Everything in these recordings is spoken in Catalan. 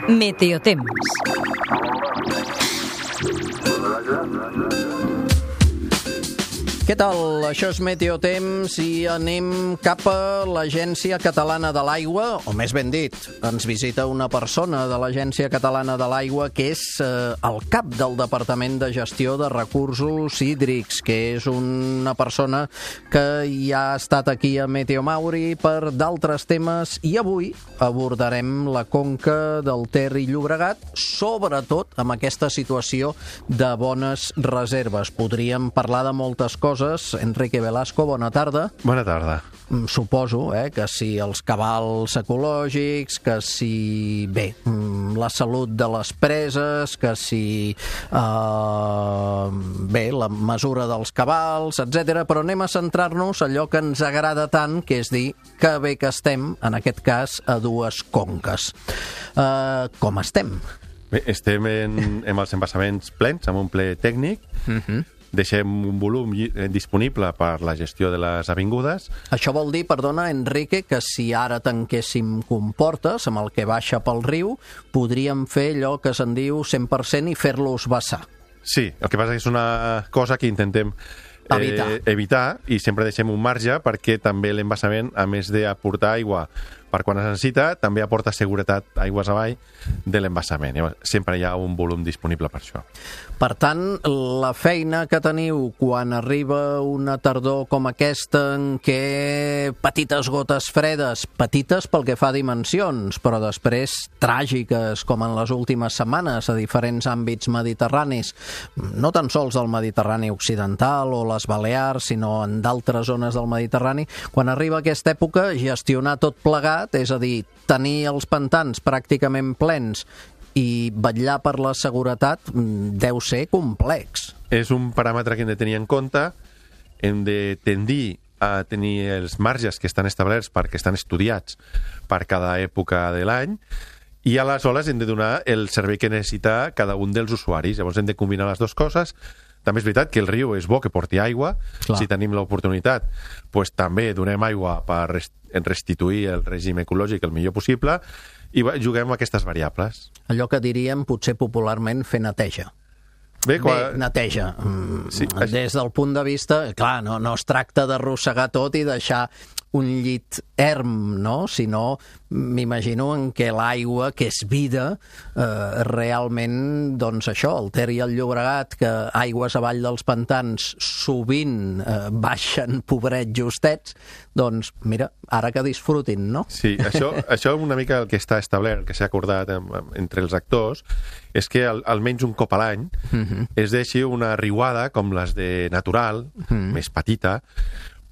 Meteotemps. Què tal? Això és Meteotemps i anem cap a l'Agència Catalana de l'Aigua, o més ben dit, ens visita una persona de l'Agència Catalana de l'Aigua que és el cap del Departament de Gestió de Recursos Hídrics, que és una persona que ja ha estat aquí a Meteomauri per d'altres temes i avui abordarem la conca del Ter i Llobregat, sobretot amb aquesta situació de bones reserves. Podríem parlar de moltes coses. Enrique Velasco, bona tarda. Bona tarda. Suposo que si els cabals ecològics, que si, bé, la salut de les preses, que si, bé, la mesura dels cabals, etc. Però anem a centrar-nos allò que ens agrada tant, que és dir que bé que estem, en aquest cas, a dues conques. Com estem? Bé, estem amb els embassaments plens, amb un ple tècnic. Deixem un volum disponible per la gestió de les avingudes. Això vol dir, perdona, Enrique, que si ara tanquéssim comportes amb el que baixa pel riu, podríem fer allò que se'n diu 100% i fer-los vessar. Sí, el que passa és una cosa que intentem evitar i sempre deixem un marge perquè també l'embassament, a més d'aportar aigua per quan es necessita, també aporta seguretat aigües avall de l'embassament. Sempre hi ha un volum disponible per això. Per tant, la feina que teniu quan arriba una tardor com aquesta en què petites gotes fredes, petites pel que fa a dimensions, però després tràgiques, com en les últimes setmanes a diferents àmbits mediterranis, no tan sols del Mediterrani occidental o les Balears, sinó en d'altres zones del Mediterrani, quan arriba aquesta època, gestionar tot plegat, és a dir, tenir els pantans pràcticament plens i vetllar per la seguretat deu ser complex. És un paràmetre que hem de tenir en compte, hem de tendir a tenir els marges que estan establerts perquè estan estudiats per cada època de l'any i aleshores hem de donar el servei que necessita cada un dels usuaris. Llavors hem de combinar les dues coses. També és veritat que el riu és bo que porti aigua. Clar. Si tenim l'oportunitat, doncs també donem aigua per restituir el règim ecològic el millor possible i juguem amb aquestes variables. Allò que diríem potser popularment fer neteja. Bé, neteja. Sí, des del punt de vista, clar, no es tracta d'arrossegar tot i deixar un llit erm, no? Sinó, m'imagino en què l'aigua, que és vida, realment, doncs això, el Ter i el Llobregat, que aigües avall dels pantans sovint baixen pobrets justets, doncs, mira, ara que disfrutin, no? Sí, això una mica el que està establert, que s'ha acordat entre els actors, és que almenys un cop a l'any es deixi una riuada com les de natural, més petita,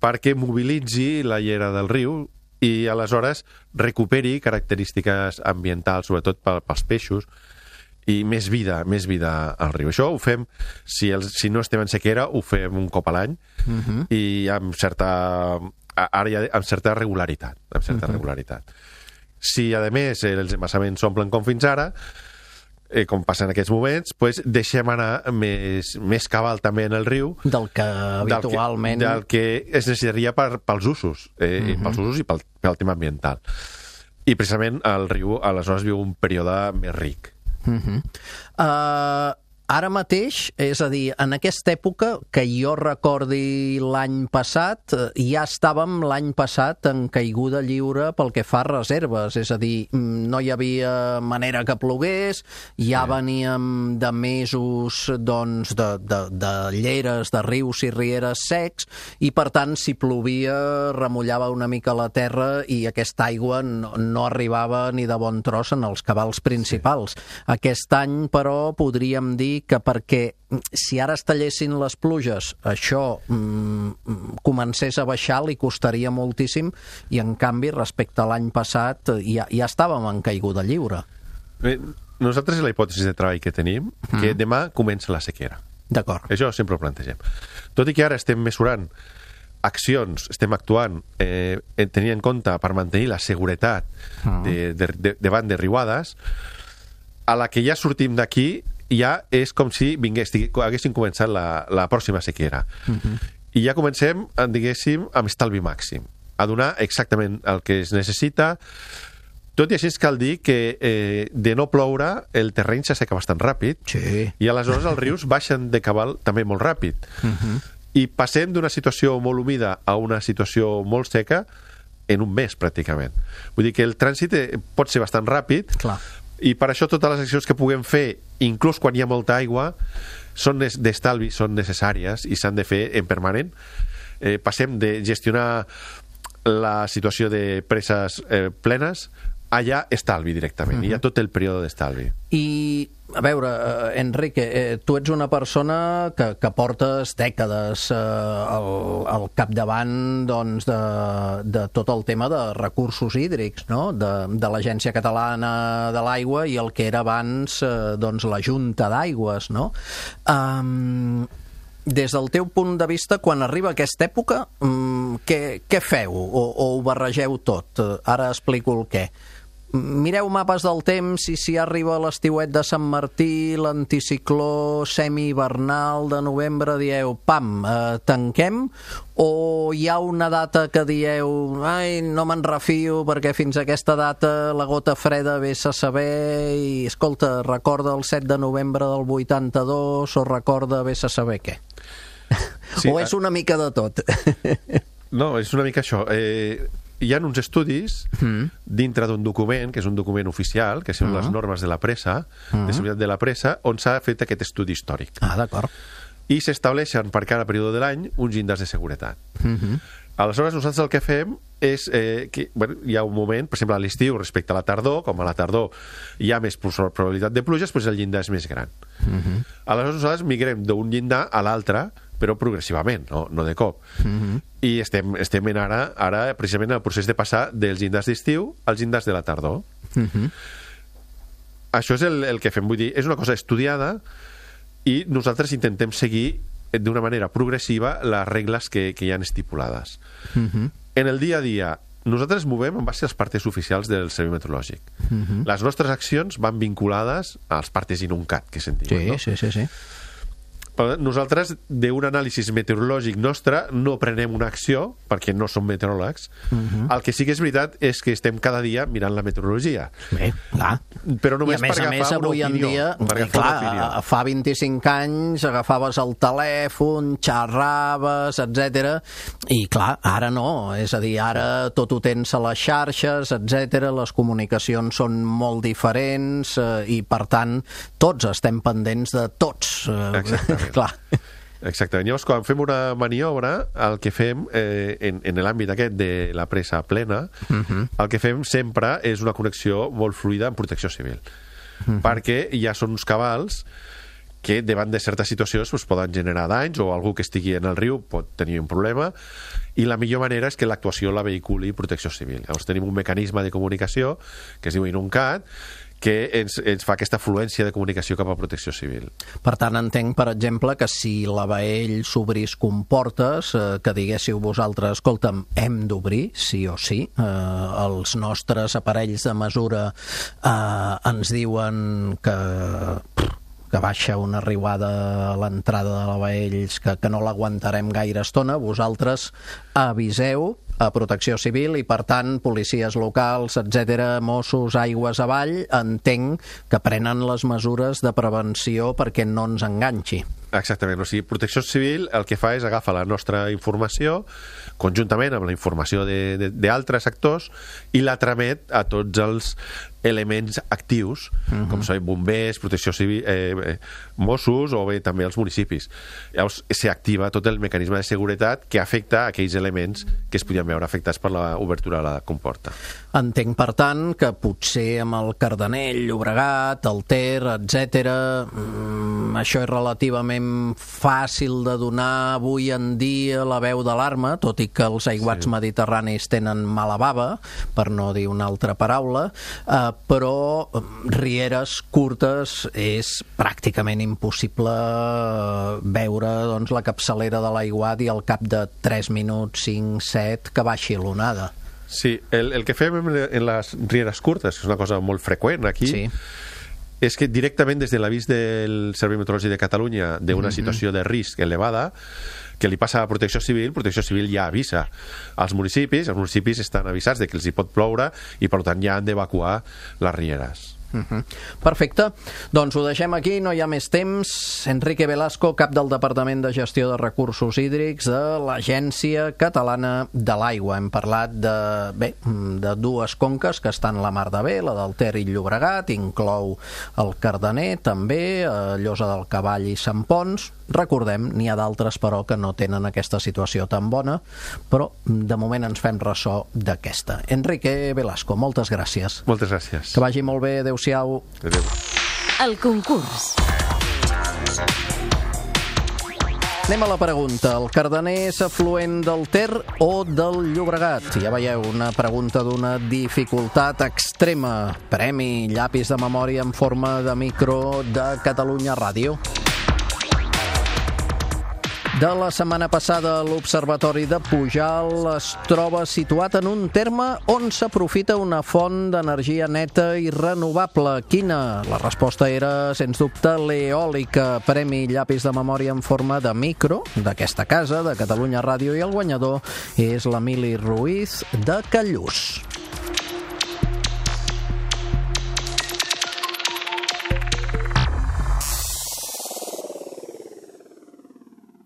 perquè mobilitzi la llera del riu i aleshores recuperi característiques ambientals, sobretot pels peixos, i més vida al riu. Això ho fem, si no estem en sequera, ho fem un cop a l'any i amb certa regularitat. Si, a més, els embassaments s'omplen com fins ara, com passa en aquests moments, doncs deixem anar més cabal també en el riu del que habitualment del que es necessitaria pels usos pels usos i pel tema ambiental. I precisament el riu aleshores viu un període més ric. Ara mateix, és a dir, en aquesta època, que jo recordi l'any passat, ja estàvem l'any passat en caiguda lliure pel que fa a reserves, és a dir, no hi havia manera que plogués, ja veníem de mesos doncs, de lleres, de rius i rieres secs, i per tant, si plovia, remullava una mica la terra i aquesta aigua no arribava ni de bon tros en els cabals principals. Aquest any, però, podríem dir que perquè si ara es tallessin les pluges això comencés a baixar, li costaria moltíssim i en canvi respecte a l'any passat ja estàvem en caiguda lliure. Bé, nosaltres la hipòtesi de treball que tenim que demà comença la sequera. D'acord. Això sempre ho plantegem. Tot i que ara estem mesurant accions, estem actuant tenint en compte per mantenir la seguretat davant de riuades, a la que ja sortim d'aquí ja és com si haguéssim començat la pròxima sequera. I ja comencem, diguéssim, amb estalvi màxim. a donar exactament el que es necessita. Tot i així cal dir que de no ploure el terreny s'asseca bastant ràpid, i aleshores els rius baixen de cabal també molt ràpid. I passem d'una situació molt humida a una situació molt seca en un mes, pràcticament. Vull dir que el trànsit pot ser bastant ràpid, i per això totes les accions que puguem fer, inclús quan hi ha molta aigua, són d'estalvi, són necessàries i s'han de fer en permanent. Passem de gestionar la situació de preses plenes allà estalvi directament. Hi ha tot el període d'estalvi. I, a veure, Enrique, tu ets una persona que portes dècades al capdavant de tot el tema de recursos hídrics, no? De l'Agència Catalana de l'Aigua i el que era abans la Junta d'Aigües, no? Des del teu punt de vista, quan arriba aquesta època, què feu? O ho barregeu tot? Ara explico el què. Mireu mapes del temps i si arriba l'estiuet de Sant Martí, l'anticicló semi-hivernal de novembre, dieu, pam, tanquem? O hi ha una data que dieu, ai, no me'n refio perquè fins a aquesta data la gota freda vés a saber i, escolta, recorda el 7 de novembre del 82 o recorda vés a saber què? Sí, o és una mica de tot? No, és una mica això. Hi ha uns estudis dintre d'un document, que és un document oficial, que són les normes de la pressa, de seguretat de la pressa, on s'ha fet aquest estudi històric. D'acord. I s'estableixen per cada període de l'any uns índexs de seguretat. Aleshores, nosaltres el que fem és que hi ha un moment, per exemple, a l'estiu respecte a la tardor, com a la tardor hi ha més probabilitat de pluges, doncs el llindar és més gran. Aleshores, nosaltres migrem d'un llindar a l'altre, però progressivament, no de cop. I estem ara precisament en el procés de passar dels llindars d'estiu als llindars de la tardor. Això és el que fem, vull dir, és una cosa estudiada i nosaltres intentem seguir d'una manera progressiva les regles que hi han estipulades. En el dia a dia, nosaltres movem en base als partes oficials del Servei Meteorològic. Les nostres accions van vinculades als partes INUNCAT, que se'n diuen, no? Sí. Nosaltres, d'un anàlisi meteorològic nostre, no prenem una acció, perquè no som meteoròlegs. El que sí que és veritat és que estem cada dia mirant la meteorologia. Bé, clar. Però només per agafar una opinió. I a més, avui en dia, fa 25 anys agafaves el telèfon, xerraves, etc. I clar, ara no. És a dir, ara tot ho tens a les xarxes, etc. Les comunicacions són molt diferents i, per tant, tots estem pendents de tots. Exactament. Clar. Exactament. Llavors, quan fem una maniobra, el que fem en l'àmbit aquest de la pressa plena, el que fem sempre és una connexió molt fluida amb protecció civil. Perquè ja són uns cabals que davant de certes situacions poden generar danys, o algú que estigui en el riu pot tenir un problema, i la millor manera és que l'actuació la vehiculi protecció civil. Llavors tenim un mecanisme de comunicació que es diu INUNCAT, que ens fa aquesta fluència de comunicació cap a protecció civil. Per tant, entenc, per exemple, que si la Baell s'obrís comportes, que diguéssiu vosaltres, escolta'm, hem d'obrir, sí o sí. Els nostres aparells de mesura ens diuen que baixa una riuada a l'entrada de la Baell, que no l'aguantarem gaire estona, vosaltres aviseu a Protecció Civil i, per tant, policies locals, etc., Mossos, aigües avall, entenc que prenen les mesures de prevenció perquè no ens enganxi. Exactament, o sigui, Protecció Civil el que fa és agafar la nostra informació conjuntament amb la informació d'altres actors i la tramet a tots els elements actius, com són bombers, Protecció Civil, Mossos o bé també els municipis. Llavors s'activa tot el mecanisme de seguretat que afecta aquells elements que es podien veure afectats per l'obertura de la comporta. Entenc, per tant, que potser amb el Cardenell, Llobregat, el Ter, etc., això és relativament fàcil de donar avui en dia la veu d'alarma, tot i que els aiguats mediterranis tenen mala bava, per no dir una altra paraula, però rieres curtes és pràcticament impossible veure la capçalera de l'aiguat i al cap de 3 minuts, 5, 7, que baixi l'onada. Sí, el que fem en les rieres curtes, que és una cosa molt freqüent aquí, és que directament des de l'avís del Servei Meteorològic de Catalunya d'una situació de risc elevada, que li passa a Protecció Civil ja avisa als municipis, els municipis estan avisats de que els hi pot ploure i per tant ja han d'evacuar les rieres. Perfecte, doncs ho deixem aquí, no hi ha més temps. Enrique Velasco, cap del Departament de Gestió de Recursos Hídrics de l'Agència Catalana de l'Aigua. Hem parlat de dues conques que estan a la mar de bé, la del Ter i Llobregat, inclou el Cardener també, Llosa del Cavall i Sant Ponç. Recordem, n'hi ha d'altres però que no tenen aquesta situació tan bona, però de moment ens fem ressò d'aquesta. Enrique Velasco, moltes gràcies. Moltes gràcies. Que vagi molt bé, adeu-siau. Adéu. El concurs. Anem a la pregunta. El Cardener és afluent del Ter o del Llobregat? Ja veieu, una pregunta d'una dificultat extrema. Premi llapis de memòria en forma de micro de Catalunya Ràdio. De la setmana passada, l'Observatori de Pujalt es troba situat en un terme on s'aprofita una font d'energia neta i renovable. Quina? La resposta era, sens dubte, l'eòlica. Premi llapis de memòria en forma de micro d'aquesta casa, de Catalunya Ràdio, i el guanyador és l'Emili Ruiz de Callús.